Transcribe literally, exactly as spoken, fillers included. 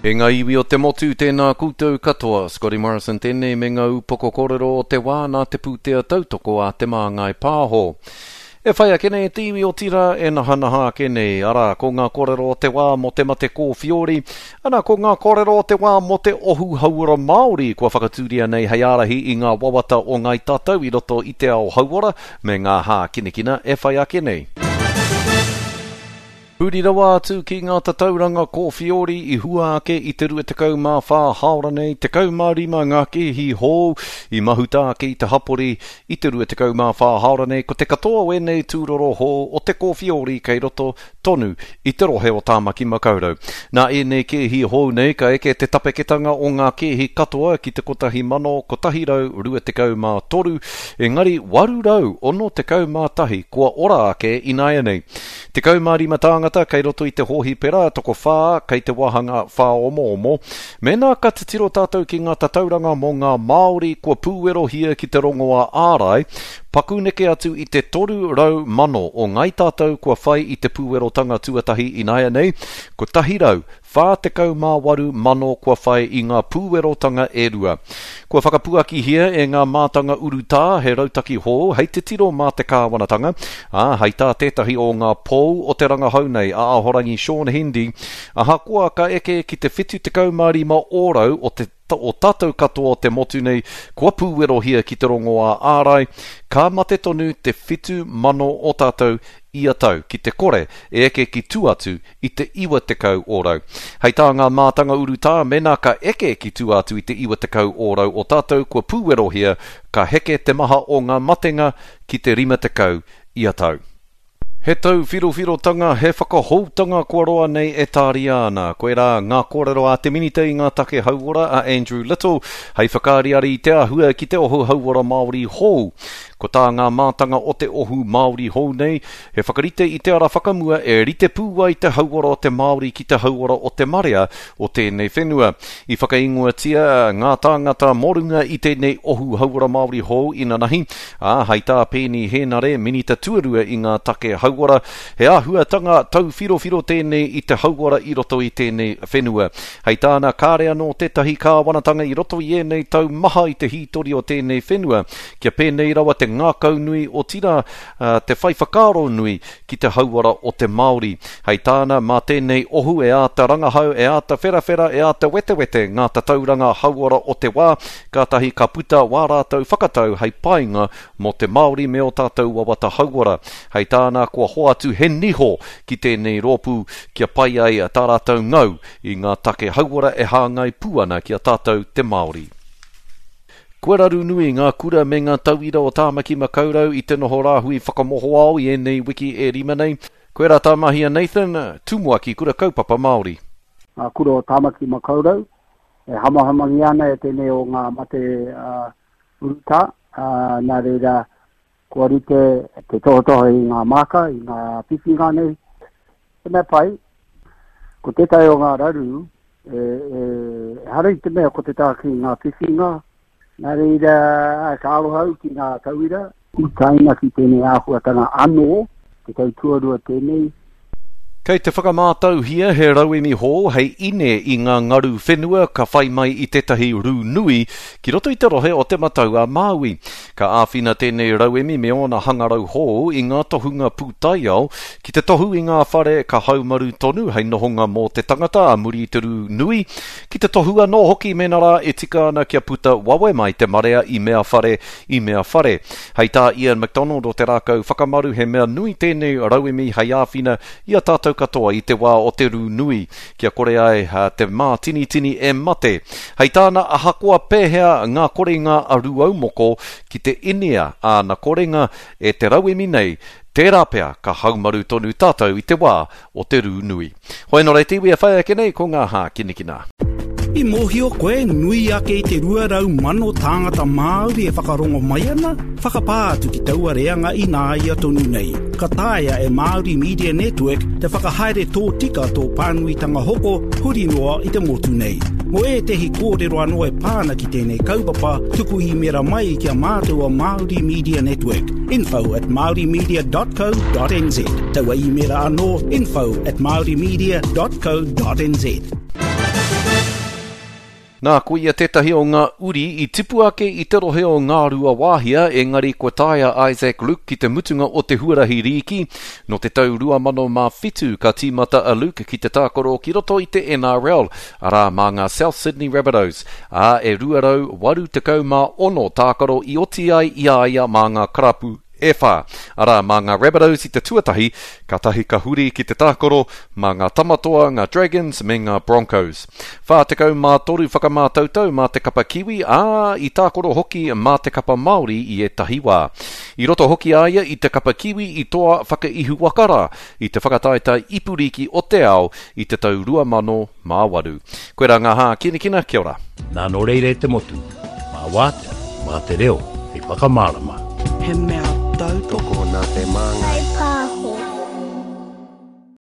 E ngā iwi o te motu, tēnā koutou katoa. Scotty Morrison tēnei me ngā upoko kōrero o te wā nā te pūtea tautoko a Te Māngai Pāho. E whai ake nei te iwi o tira e nahanaha ake nei, arā, ko ngā kōrero o te wā mō te mate kōwhiori, ana ko ngā kōrero o te wā mō te ohu hauora Māori kua whakatūria nei hei ārahi i ngā wawata o ngāi tātou i roto i te ao hauora me ngā hākinakina e whai ake nei. Huri rawa atu ki ngā tatauranga kōwhiori i hua ake i te rua tekau mā whā hāora nei, tekau mā rima ngā kēhi hou i mahuta ake i te hapori i te rua tekau mā whā hāora nei, ko te katoa o ēnei tūroro hou o te kōwhiori kei roto tonu i te rohe o Tāmaki Makaurau. Nā ēnei kēhi hou nei ka eke te tapeketanga o ngā kēhi katoa ki te kotahi mano kotahi rau rua tekau mā toru, engari waru rau ono tekau mā tahi kua ora ake ināianei. Tekau mā rima tāngata kei roto i te hōhipera, tokowhā kei te wāhanga whāomoomo. Mēnā ka titiro tātou ki ngā tatauranga mō ngā Māori kua pūwerohia ki te rongoā ārai, paku neke atu i te toru rau mano o ngāi tātou kua whai i te pūwerotanga tuatahi ināianei, kotahi rau whā tekau mā waru mano kua whai i ngā pūwerotanga e rua. Kua whakapuakihia e ngā mātanga urutā he rautaki hou hei titiro mā te kāwanatanga, ā, hei tā tētahi o ngā pou o te rangahau nei a Ahorangi Shaun Hendy, ahakoa ka eke ki te whitu tekau mā rima ōrau o te o tātou katoa o te motu nei kua pūwerohia ki te rongoā ārai, ka mate tonu te whitu mano o tātou ia tau ki te kore e eke ki tua atu i te iwa tekau ōrau. Hei tā ngā mātanga urutā, mēnā ka eke ki tua atu i te iwa tekau ōrau o tātou kua pūwerohia, ka heke te maha o ngā matenga ki te rima tekau ia tau. He tauwhirowhirotanga, he whakahoutanga kua roa nei e tāria ana. Koirā ngā kōrero a te Minita i ngā take hauora a Andrew Little, hei whakaariari i te āhua ki te ohu hauora Māori hou. Ko tā ngā mātanga o te ohu Māori hou nei, he whakarite i te ara whakamua e rite pū ai te hauora o te Māori ki te hauora o te marea o tēnei whenua. I whakaingoatia ngā tāngata mō runga i tēnei ohu hauora Māori hou inanahi, ā, hei tā Peeni Henare, Minita tuarua i ngā take hauora, he āhuatanga tauwhirowhiro tēnei i te hauora i roto i tēnei whenua. Hei tāna, kāre anō tētahi kāwanatanga i roto i ēnei tau maha i te hītori o tēnei whenua, kia pēnei rawa te ngākau nui o tira, uh, te whai whakaaro nui ki te hauora o te Māori. Hei tāna, mā tēnei ohu e āta rangahau, e āta wherawhera, e āta wetewete ngā tatauranga hauora o te wā, kātahi ka puta wā rātou whakatau hei painga mō te Māori me o tātou wawata hauora. Hei tāna, kua hoatu he niho ki tēnei rōpū kia pai ai tā rātou ngau i ngā take hauora e hāngai pū ana ki a tātou te Māori. Kua raru nui ngā kura me ngā tauira o Tāmaki Makaurau i te noho rāhui whakamohoao i ēnei wiki e rima nei. Koirā tā mahi a Nathan, tumuaki kura kaupapa Māori. Ngā kura o Tāmaki Makaurau e hamahamangia ana e tēnei o ngā mate uh, urutā, uh, nā reira kua rite te tohotoho i ngā māka, i ngā whiwhinga nei. He mea pai, ko tētahi o ngā raru, e, e, ehara i te mea ko te tāki ngā whiwhinga, nā reira ka aroha au ki ngā tauira, utaina ki tēnei āhuatanga anō, te tau tuarua tēnei. Kei te whakamātauhia he rauemi hou hei ine i ngā ngaru whenua ka whai mai i tētahi rū nui ki roto i te rohe o Te Matau a Māui. Ka āwhina tēnei rauemi me ōna hangarau hou i ngā tohunga pūtaiao ki te tohu i ngā whare ka haumaru tonu hei nohonga mō te tangata a muri i te rū nui, ki te tohu anō hoki mēnā rā e tika ana kia puta wawe mai te marea i mea whare, i mea whare. Hei tā Ian McDonald o Te Rākau Whakamaru he mea nui tēnei rauemi hei āwhina i a tātou katoa i te wā o te rū nui, kia kore ai te mātinitini e mate. Hei tāna, ahakoa pēhea ngā korenga a Rūaumoko ki te inea āna korenga e te rauemi nei, tērā pea ka haumaru tonu tātou i te wā o te rū nui. Hoi nō reira te iwi e whai ake nei ko ngā hākinakina. I mōhio koe nui ake i te rua rau mano tāngata Māori e whakarongo mai ana, whakapā atu ki taua reanga ināia tonu nei. Ka taea e Māori Media Network te whakahaere tōtika tō pānuitanga hoko huri noa i te motu nei. Mō ētehi kōrero anō e pā ana ki tēnei kaupapa, tuku īmera mai ki a mātou o Māori Media Network, info at māorimedia dot co dot nz. Taua īmera anō, info at māorimedia dot co dot nz. Nā, ko ia tētahi o ngā uri i tipu ake i te rohe o Ngāruawāhia, engari kua tae a Isaac Luke ki te mutunga o te huarahi rīki. Nō te tau rua mano mā whitu ka tīmata a Luke ki te tākaro ki roto i te N R L, arā mā ngā South Sydney Rabbitohs, ā, e rua rau waru tekau mā ono tākaro i oti ai i a ia mā ngā karapu e whā. Arā, mā ngā Rabbitohs i te tuatahi, kātahi ka huri ki te tākaro mā ngā Tamatoa, ngā Dragons me ngā Broncos. Whā tekau mā toru whakamātautau mā te kapa Kiwi, ā, i tākaro hoki mā te kapa Māori i ētahi wā. I roto hoki a ia i te kapa Kiwi i toa whakaihuwaka rā i te whakataetae ipuriki o te ao i te tau rua mano mā waru. Koirā ngā hākinakina, kia ora. Nā nō reira e te motu, mā wātea, mā te reo, hei whakamārama. He mea tautoko. Tokona te māngai.